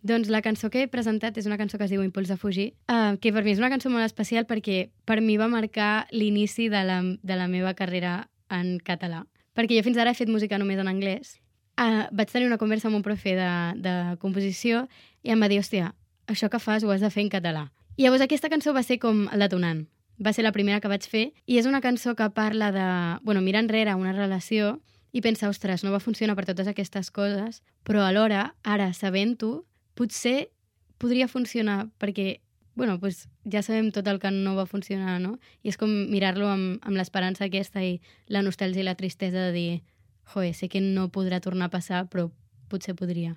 Doncs la cançó que he presentat és una cançó que es diu Impuls de fugir, que per mi és una cançó molt especial perquè per mi va marcar l'inici de la meva carrera en català. Perquè jo fins ara he fet música només en anglès. Vaig tenir una conversa amb un profe de composició i em va dir, hòstia, això que fas ho has de fer en català. I llavors aquesta cançó va ser com el detonant. Va ser la primera que vaig fer i és una cançó que parla de, mirar enrere una relació i pensar, ostres, no va funcionar per totes aquestes coses, però alhora, ara, sabent-ho, potser podria funcionar perquè, ja sabem tot el que no va funcionar, no? I és com mirar-lo amb l'esperança aquesta i la nostàlgia i la tristesa de dir, joder, sé que no podrà tornar a passar, però potser podria.